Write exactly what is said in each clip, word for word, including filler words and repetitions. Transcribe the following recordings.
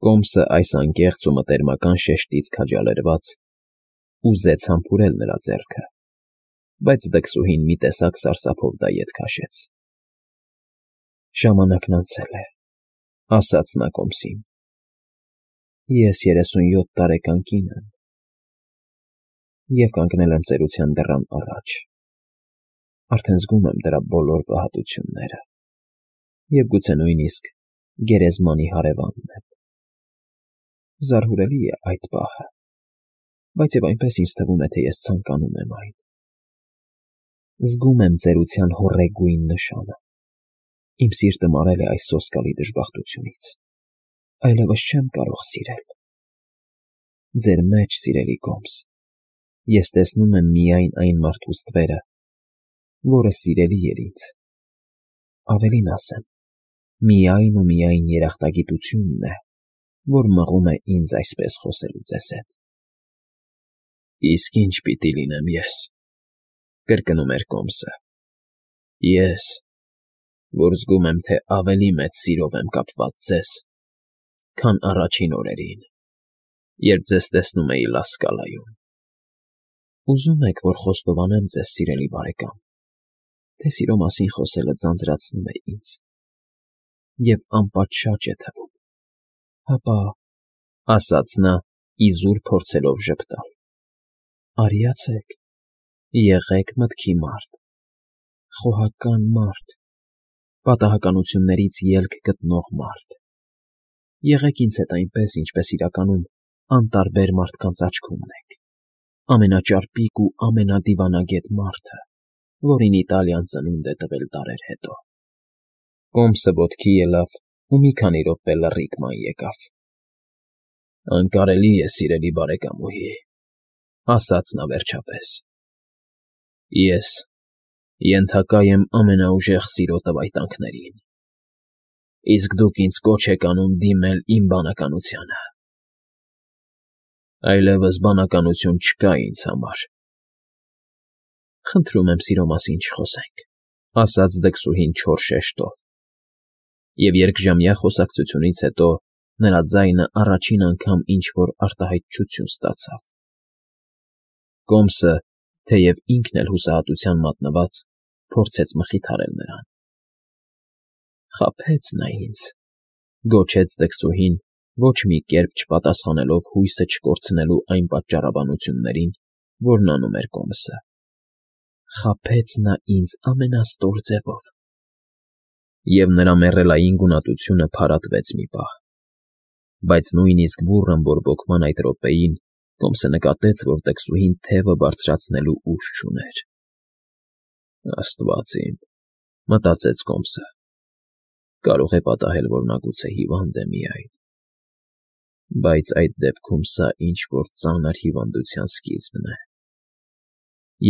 Կոմսը այս անկեղծ ու մտերմական շեշտից քաջալերված ուզեց համբուրել նրա ձեռքը, բայց դքսուհին մի տեսակ սարսափով դա ետ քաշեց։ ֊ Ժամանակն անցել է,֊ ասաց նա կոմսին։֊ Ես երեսունյոթ տարեկան կին եմ և կանգնել եմ ծերության դռան առաջ, արդեն զգում եմ դրա բոլոր վհատությունները և գուցե նույնիսկ գերեզմանի հարևանն եմ… Զարհուրելի է այդ պահը, բայց և այնպես ինձ թվում է, թե ես ցանկանում եմ այն… Զգում եմ ծերության հոռետկույն նշանը, իմ սիրտը մարել է այս սոսկալի դժբախտությունից, այլևս չեմ կարող սիրել… Ձեր մեջ, սիրելի կոմս, ես տեսնում եմ միայն այն մարդու ստվերը, որը սիրելի էր ինձ, ավելին ասեմ, միայն ու միայն երախտագիտությունն է, որ մղում է ինձ այսպես խոսելու ձեզ հետ։ ֊ Իսկ ի՞նչ պիտի լինեմ ես,֊ կրկնում էր կոմսը,֊ ես, որ զգում եմ, թե ավելի մեծ սիրով եմ կապված ձեզ, քան առաջին օրերին, երբ ձեզ տեսնում էի Լա Սկալայում… Ուզո՞ւմ եք, որ խոստովանեմ ձեզ, սիրելի բարեկամ, թե սիրո մասին խոսելը ձանձրացնում է ինձ և անպատշաճ է թվում… Հապա,֊ ասաց նա, իզուր փորձելով ժպտալ,֊ արիացեք, եղեք մտքի մարդ, խոհական մարդ, պատահականություններից ելք գտնող մարդ… Եղեք ինձ հետ այնպես, ինչպես իրականում անտարբեր մարդկանց աչքում ունեք, ամենաճարպիկ ու ամենադիվանագետ մարդը, որին Իտալիան ծնունդ է տվել դարեր հետո… Կոմսը ոտքի ելավ ու մի քանի րոպե լռիք ման եկավ։ ֊ Անկարելի է, սիրելի բարեկամուհի,֊ ասաց նա վերջապես,֊ ես ենթակա եմ ամենաուժեղ սիրո տվայտանքներին, իսկ դուք ինձ կոչ եք անում դիմել իմ բանականությանը… Այլևս բանականություն չկա ինձ համար… ֊ Խնդրում եմ սիրո մասին չխոսենք,֊ ասաց դքսուհին չոր շեշտով, և երկժամյա խոսակցությունից հետո նրա ձայնը առաջին անգամ ինչ֊որ արտահայտչություն ստացավ։ Կոմսը, թեև ինքն էլ հուսահատության մատնված, փորձեց մխիթարել նրան։ ֊ Խաբեց նա ինձ,֊ գոչեց դքսուհին, ոչ մի կերպ չպատասխանելով հույսը չկորցնելու այն պատճառաբանություններին, որն անում էր կոմսը,֊ խաբեց նա ինձ ամենաստոր ձևով… Եվ նրա մեռելային գունատությունը փարատվեց մի պահ, բայց նույնիսկ բուռն բորբոքման այդ րոպեին Կոմսը նկատեց, որ դքսուհին թևը բարձրացնելու ուժ չուներ։ «Աստված իմ,֊ մտածեց կոմսը,֊ կարող է պատահել, որ նա գուցե հիվանդ է միայն… Բայց այդ դեպքում սա ինչ֊որ ծանր հիվանդության սկիզբն է…»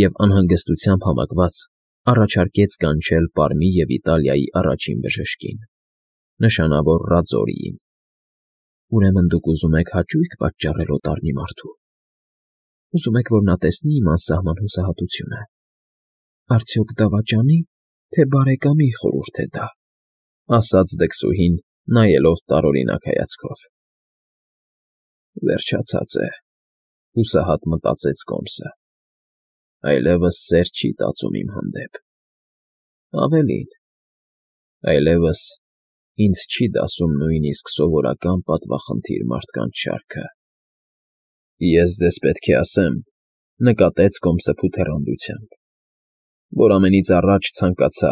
Եվ անհանգստությամբ համակված առաջարկեց կանչել Պարմի և Իտալիայի առաջին բժշկին, նշանավոր Ռաձորիին։ ֊ Ուրեմն դուք ուզում եք հաճույք պատճառել օտարնի մարդու… Ուզում եք, որ նա տեսնի իմ անսահման հուսահատությունը… Արդյոք դավաճանի՞, թե բարեկամի խորհուրդ է դա,֊ ասաց դքսուհին, նայելով տարօրինակ հայացքով։ «Վերջացած է,֊ հուսահատ մտածեց կոմսը,֊ այլևս սեր չի տածում իմ հանդեպ… Ավելին, այլևս ինձ չի դասում նույնիսկ սովորական պատվախնդիր մարդկանց շարքը… Ես ձեզ պետք է ասեմ,֊ նկատեց կոմսը փութեռանդությամբ,֊ որ ամենից առաջ ցանկացա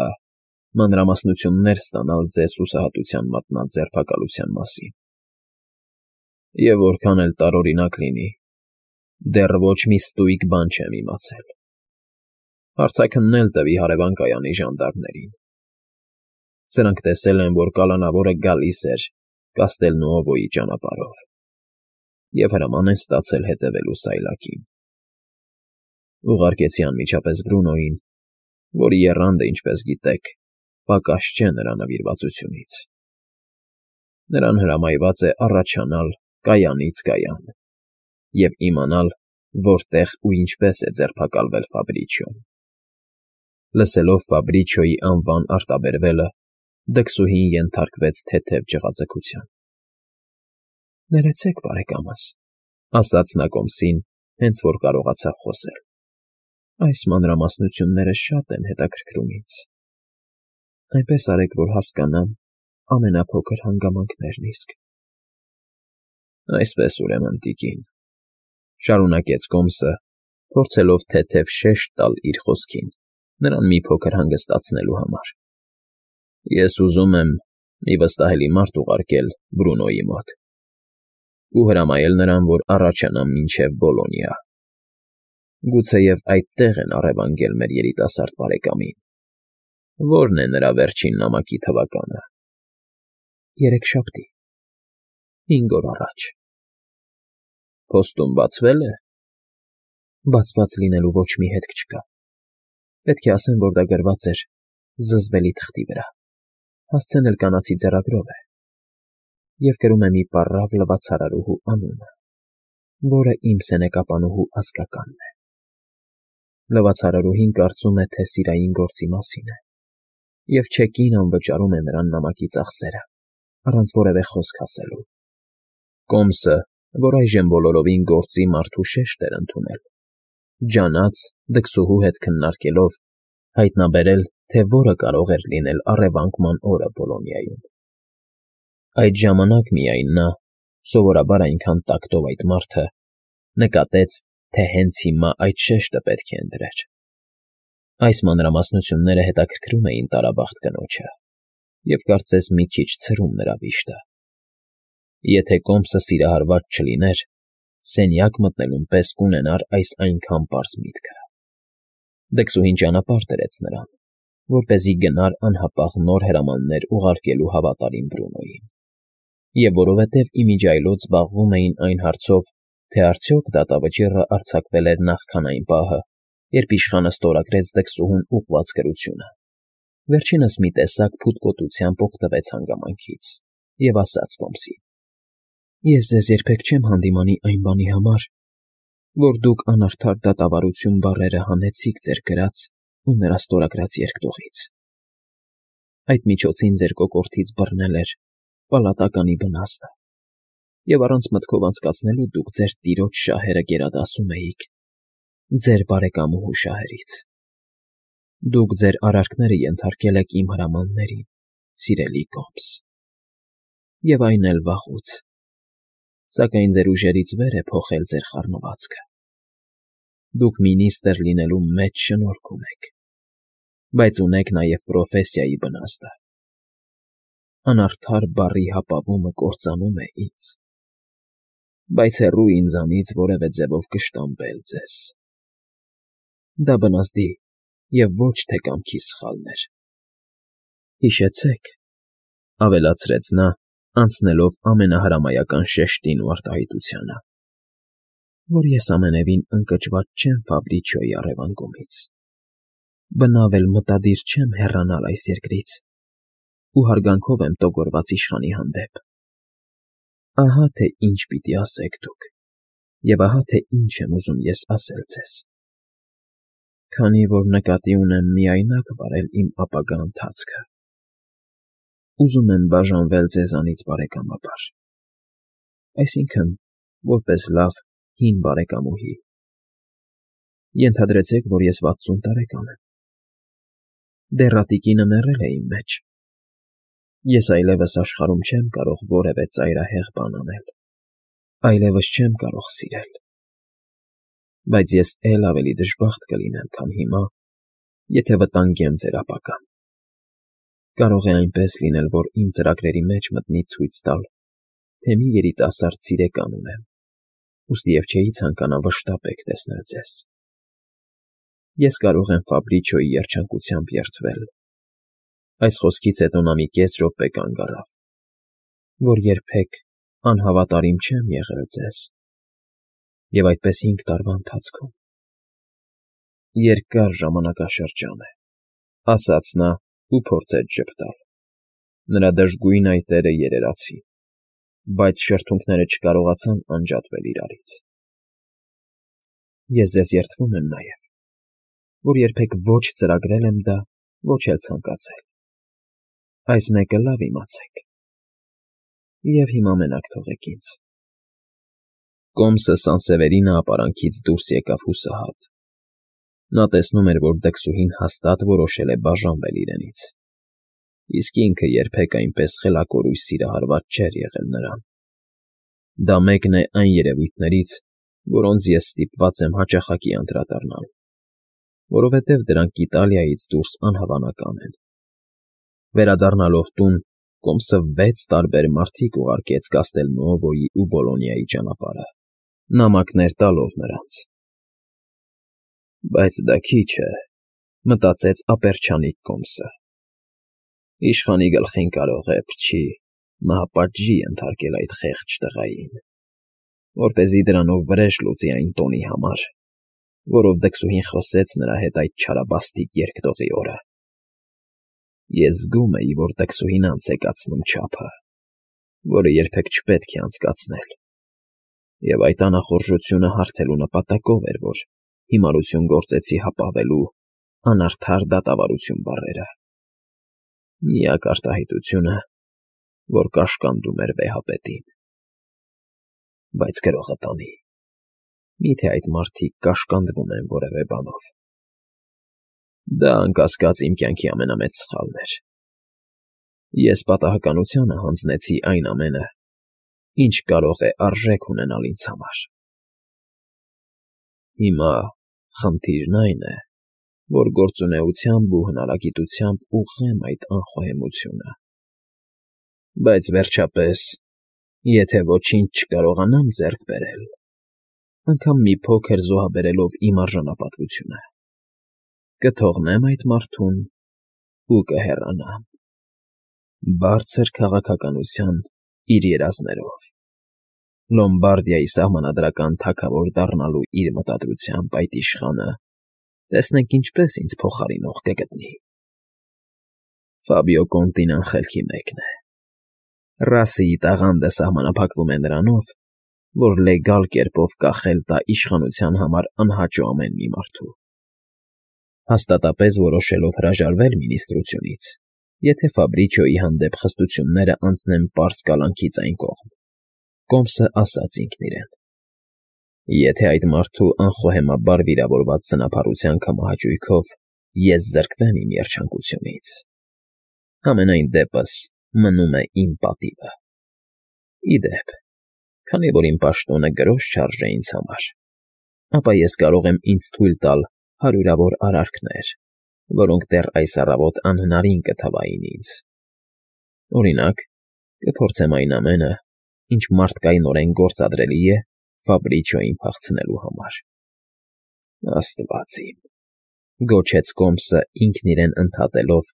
մանրամասնություններ ստանալ ձեզ հուսահատության մատնած ձերբակալության մասին… Եվ որքան էլ տարօրինակ լինի, դեռ ոչ մի ստույգ բան չեմ իմացել… Հարցաքննել տվի հարևան կայանի ժանդարմներին… Սրանք տեսել են, որ կալանավորը գալիս էր Կաստելնուովոյի ճանապարհով և հրաման են ստացել հետևելու սայլակին… Ուղարկեցի անմիջապես Բրունոյին, որի եռանդը, ինչպես գիտեք, պակաս չէ նրա նվիրվածությունից… Նրան հրամայված է առաջանալ կայանից կայան և իմանալ, որտեղ ու ինչպես է ձերբակալվել Ֆաբրիչոն… Լսելով Ֆաբրիչոյի անվան արտաբերվելը, դքսուհին ենթարկվեց թեթև ջղաձգության։ Ներեցեք, բարեկամս, ասաց նա կոմսին, հենց որ կարողացավ խոսել։ Այս մանրամասնությունները շատ են հետաքրքրում ինձ։ Այնպես արեք, որ հասկանամ ամենափոքր հանգամանքներն իսկ։ Այսպես, ուրեմն, տիկին, շարունակեց կոմսը, փորձելով թեթև շեշտ տալ իր խոսքին, նրան մի փոքր հանգստացնելու համար։ Ես ուզում եմ մի վստահելի մարդ ուղարկել Բրունոյի մոտ ու հրամայել նրան, որ առաջանամ մինչև Բոլոնիա։ Գուցեև այդտեղ են առևանգել մեր երիտասարդ բարեկամին։ Ո՞րն է նրա վերջին նամակի թվականը։ Երեքշաբթի, հինգ օր առաջ։ Փոստում բացվե՞լ է։ Բացված լինելու ոչ մի հետք չկա։ Պետք է ասեմ, որ դա գրված էր զզվելի թղթի վրա, հասցնել կանացի ձեռագրով է, և կրում է մի պառավ լվացարարուհու անունը, որը իմ սենեկապանուհու ազգականն է։ Լվացարարուհին կարծում է, թե սիրային գործի մասին է, և չեկին անվճարում է նրան նամակի ծախսերը, առանց որևէ խոսք ասելու։ Կոմսը, որ այժմ բոլորովին գործի մարդու շեշտ էր ընդունել, ջանաց, դքսուհու հետ քննարկելով, հայտնաբերել, թե որը կարող էր լինել առևանգման օրը Բոլոնիայում։ Այդ ժամանակ միայն նա, սովորաբար այնքան տակտով այդ մարդը, նկատեց, թե հենց հիմա այդ շեշտը պետք է ընտրեր։ Այս մանրամասնությունները հետաքրքրում էին տարաբախտ կնոջը և կարծես մի քիչ ցրում նրա վիշտը։ Եթե կոմսը սիրահարված չլիներ, սենյակ մտնելուն պես կունենար այս այնքան պարզ միտքը։ Դքսուհին ճանապարհ դրեց նրան, որպեսզի գնար անհապաղ նոր հրամաններ ուղարկելու հավատարիմ Բրունոյին, և որովհետև իմիջիայլոց զբաղվում էին այն հարցով, թե արդյոք դատավճիռը արձակվել էր նախքան այն պահը, երբ իշխանը ստորագրեց դքսուհուն ուղղված գրությունը, վերջինս մի տեսակ փութկոտությամբ օգտվեց հանգամանքից և ասաց կոմսին. Ես ձեզ երբեք չեմ հանդիմանի այն բանի համար, որ դուք անարդար դատավարություն բառերը հանեցիք ձեր գրած ու նրա ստորագրած երկտողից։ Այդ միջոցին ձեր կոկորդից բռնել էր պալատականի բնաստը, և առանց մտքով անցկացնելու դուք ձեր տիրոջ շահերը գերադասում էիք ձեր բարեկամուհու շահերից։ Դուք ձեր արարքները ենթարկել եք իմ հրամաններին, սիրելի կոմս, և այն էլ վաղուց, սակայն ձեր ուժերից վեր է փոխել ձեր խառնվածքը։ Դուք մինիստր լինելու մեծ շնորհք ունեք, բայց ունեք նաև պրոֆեսիայի բնաստը։ Անարդար բառի հապավումը կործանում է ինձ, բայց հեռու ինձանից որևէ ձևով կշտամբել ձեզ։ Դա բնազդի և ոչ թե կամքի սխալն էր։ Հիշեցեք, ավելացրեց նա, անցնելով ամենահրամայական շեշտին ու արտահայտությանը, որ ես ամենևին ընկճված չեմ Ֆաբրիչիոյի առևանգումից, բնավ էլ մտադիր չեմ հեռանալ այս երկրից ու հարգանքով եմ տոգորված իշխանի հանդեպ։ Ահա թե ինչ պիտի ասեք դուք, և ահա թե ինչ եմ ուզում ես ասել ձեզ։ Քանի որ նկատի ունեմ միայնակ վարել իմ ապագա ընթացքը, ուզում եմ բաժանվել ձեզանից բարեկամաբար, այսինքն՝ որպես լավ հին բարեկամուհի։ Ենթադրեցեք, որ ես վաթսուն տարեկան եմ։ Դեռատիկինը մեռել է իմ մեջ։ Ես այլևս աշխարհում չեմ կարող որևէ ծայրահեղ բան անել, այլևս չեմ կարող սիրել։ Բայց ես էլ ավելի դժբախտ կլինեմ, քան հիմա, եթե վտանգեմ ձեր ապագան։ Կարող է այնպես լինել, որ իմ ծրագրերի մեջ մտնի ցույց տալ, թե մի երիտասարդ սիրեկան ունեմ, ուստիև չէի ցանկանա վշտաբեկ տեսնել ձեզ։ Ես կարող եմ Ֆաբրիչիոյի երջանկությամբ երդվել։ Այս խոսքից հետո նա մի կես րոպե կանգ առավ, որ երբեք անհավատարիմ չեմ եղել ձեզ, և այդպես հինգ տարվա ընթացքում։ Երկար ժամանակաշրջան է, ասաց նա ու փորձեց ժպտալ։ Նրա դժգույն այտերը երերացին, բայց շրթունքները չկարողացան անջատվել իրարից։ Ես ձեզ երդվում եմ նաև, որ երբեք ոչ ծրագրել եմ դա, ոչ էլ ցանկացել։ Այս մեկը լավ իմացեք։ Եվ հիմա մենակ թողեք ինձ։ Կոմսը Սանսևերինը ապարանքից դուրս եկավ հուսահատ։ Նա տեսնում էր, որ դքսուհին հաստատ որոշել է բաժանվել իրենից, իսկ ինքը երբեք այնպես խելակորույս սիրահարված չէր եղել նրան։ Դա մեկն է այն երևույթներից, որոնց ես ստիպված եմ հաճախակի անդրադառնալ, որովհետև դրանք Իտալիայից դուրս անհավանական են։ Վերադառնալով տուն, Կոմսը վեց տարբեր մարդիկ ուղարկեց Կաստելնուովոյի ու Բոլոնիայի ճանապարհը, նամակներ տալով նրանց։ Բայց դա քիչ է, մտածեց ապերչանիկ Կոմսը։ Իշխանի գլխին կարող է փչի, մահապատժի ենթարկել այդ խեղճ տղային, որպեսզի դրանով վրեժ լուծի այն տոնի համար, որով դքսուհին խոսեց նրա հետ այդ չարաբաստիկ երկտողի օրը։ Ես զգում էի, որ դքսուհին անց է կացնում չափը, որը երբեք չպետք է անցկացնել, և այդ անախորժությունը հարթելու նպատակով էր, որ հիմարություն գործեցի հապավելու անարդար դատավարություն բառերը։ Միակ արտահայտությունը, որ կաշկանդում էր վեհապետին։ Բայց գրողը տանի, միթե այդ մարդիկ կաշկանդվում են որևէ բանով։ Դա, անկասկած, իմ կյանքի ամենամեծ սխալն էր։ Ես պատահականությանը հանձնեցի այն ամենը, ինչ կարող է արժեք ունենալ ինձ համար։ Հիմա խնդիրն այն է, որ գործունեությամբ ու հնարագիտությամբ ուղղեմ այդ անխոհեմությունը։ Բայց վերջապես, եթե ոչինչ չկարողանամ ձեռք բերել, անգամ մի փոքր զոհաբերելով իմ արժանապատվությունը, կթողնեմ այդ մարդուն ու կհեռանամ, բարձր քաղաքականության իր երազներով, Լոմբարդիայի սահմանադրական թագավոր դառնալու իր մտադրությամբ այդ իշխանը տեսնենք ինչպես ինձ փոխարինող կգտնի։ Ֆաբիո Կոնտին անխելքի մեկն է։ Ռասիի տաղանդը սահմանափակվում է նրանով, որ լեգալ կերպով կախել տա իշխանության համար անհաճո ամեն մի մարդու։ Հաստատապես որոշելով հրաժարվել մինիստրությունից, եթե Ֆաբրիչիոյի հանդեպ խստությունները անցնեն պարզ կալանքից այն կողմ, Կոմսը ասաց ինքն իրեն. եթե այդ մարդու անխոհեմաբար վիրավորված սնափառության կամահաճույքով ես զրկվեմ իմ երջանկությունից, համենայն դեպս մնում է իմ պատիվը։ Ի դեպ, քանի որ իմ պաշտոնը գրոշ չարժե ինձ համար, ապա ես կարող եմ ինձ թույլ տալ հարյուրավոր արարքներ, որոնք դեռ այս առավոտ անհնարին կթվային ինձ։ Օրինակ, կփորձեմ այն ամենը, ինչ մարդկայնորեն գործադրելի է Ֆաբրիչիոյին փախցնելու համար։ Աստված իմ, գոչեց Կոմսը ինքն իրեն ընդհատելով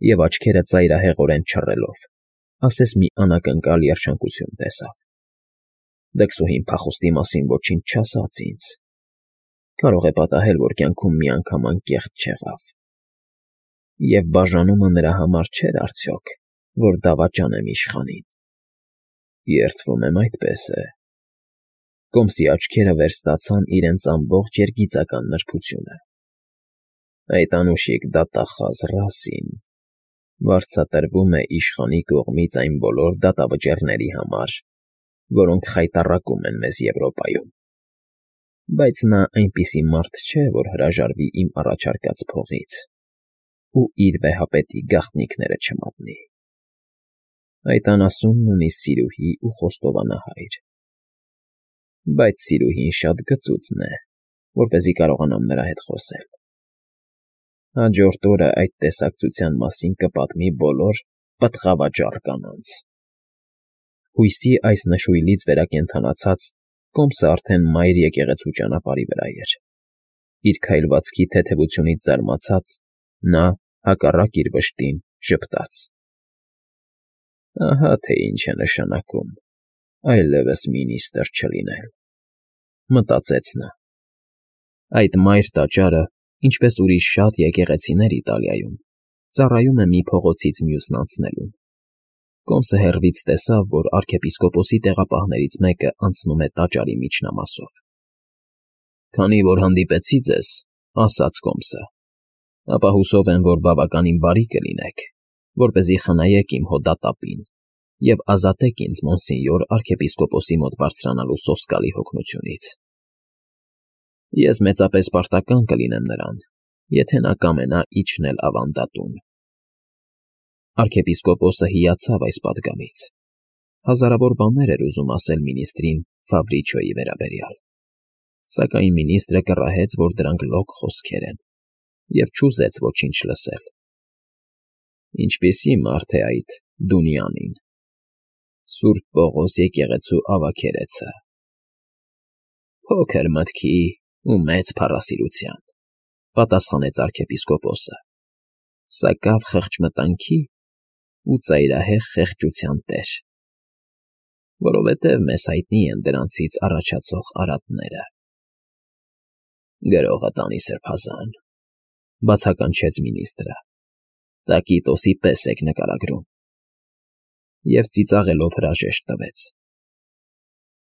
և աչքերը ծայրահեղորեն չռելով, ասես մի անակնկալ երջանկություն տեսավ։ Դքսուհին փախուստի մասին ոչինչ չասաց ինձ։ Կարող է պատահել, որ կյանքում մի անգամ անկեղծ չեղավ։ Եվ բաժանումը նրա համար չէր արդյոք, որ դավաճանեմ իշխանին։ Երդվում եմ, այդպես է։ Կոմսի աչքերը վերստացան իրենց ամբողջ երգիծական նրբությունը։ Այդ անուշիկ դատախազ Ռասին վարձատրվում է իշխանի կողմից այն բոլոր դատավճիռների համար, որոնք խայտառակում են մեզ Եվրոպայում։ Բայց նա այնպիսի մարդ չէ, որ հրաժարվի իմ առաջարկած փողից ու իր վեհապետի գաղտնիքները չմատնի։ Այդ անասունն ունի սիրուհի ու խոստովանահայր։ Բայց սիրուհին շատ գծուծն է, որպեսզի կարողանամ նրա հետ խոսել։ Հաջորդ օրը այդ տեսակցության մասին կպատմի բոլոր պտղավաճառ կանանց։ Հույսի այս նշույլից վերակենդանացած Կոմսը արդեն մայր եկեղեցու ճանապարհի վրա էր։ Իր քայլվածքի թեթևությունից զարմացած, նա, հակառակ իր վշտին, ժպտաց. Ահա թե ինչ է նշանակում այլևս մինիստրը չլինել, մտածեց նա։ Այդ մայր տաճարը, ինչպես ուրիշ շատ եկեղեցիներ Իտալիայում, ծառայում է մի փողոցից մյուսն անցնելուն։ Կոմսը հեռվից տեսավ, որ արքեպիսկոպոսի տեղապահներից մեկը անցնում է տաճարի միջնամասով։ Քանի որ հանդիպեցի ձեզ, ասաց Կոմսը, ապա հուսով եմ, որ բավականին բարի կլինեք, որպեսզի խնայեք իմ հոդատապին և ազատեք ինձ մոնսենյոր արքեպիսկոպոսի մոտ բարձրանալու սոսկալի հոգնությունից։ Ես մեծապես պարտական կլինեմ նրան, եթե նա կամենա իջնել ավանդատուն։ Արքեպիսկոպոսը հիացավ այս պատգամից, հազարավոր բաներ էր ուզում ասել մինիստրին Ֆաբրիչոյի վերաբերյալ, սակայն մինիստրը կռահեց, որ դրանք լոկ խոսքեր են, և չուզեց ոչինչ լսել։ Ինչպիսի՞ մարդ է այդ Դունյանին, Սուրբ Պողոս եկեղեցու ավագերեցը։ Փոքր մտքի ու մեծ փառասիրության, պատասխանեց արքեպիսկոպոսը, սակավ խղճմտանքի ու ծայրահեղ խեղճության տեր, որովհետև մեզ հայտնի են դրանցից առաջացող արատները։ Գրողը տանի սրբազան, բացականչեց մինիստրը, տակիտոսի պես եք նկարագրում, և ծիծաղելով հրաժեշտ տվեց։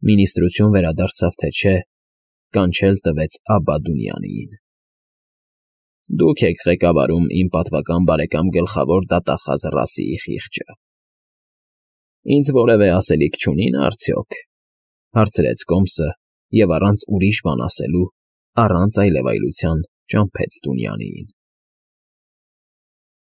Մինիստրություն վերադարձավ թե չէ, կանչել տվեց Աբբա Դունյանիին։ Դուք եք ղեկավարում իմ պատվական բարեկամ գլխավոր դատախազ Ռասիի խիղճը։ Ինձ որևէ ասելիք չունի՞ն արդյոք,֊ հարցրեց կոմսը և առանց ուրիշ բան ասելու, առանց այլևայլության ճամփեց Դունյանիին։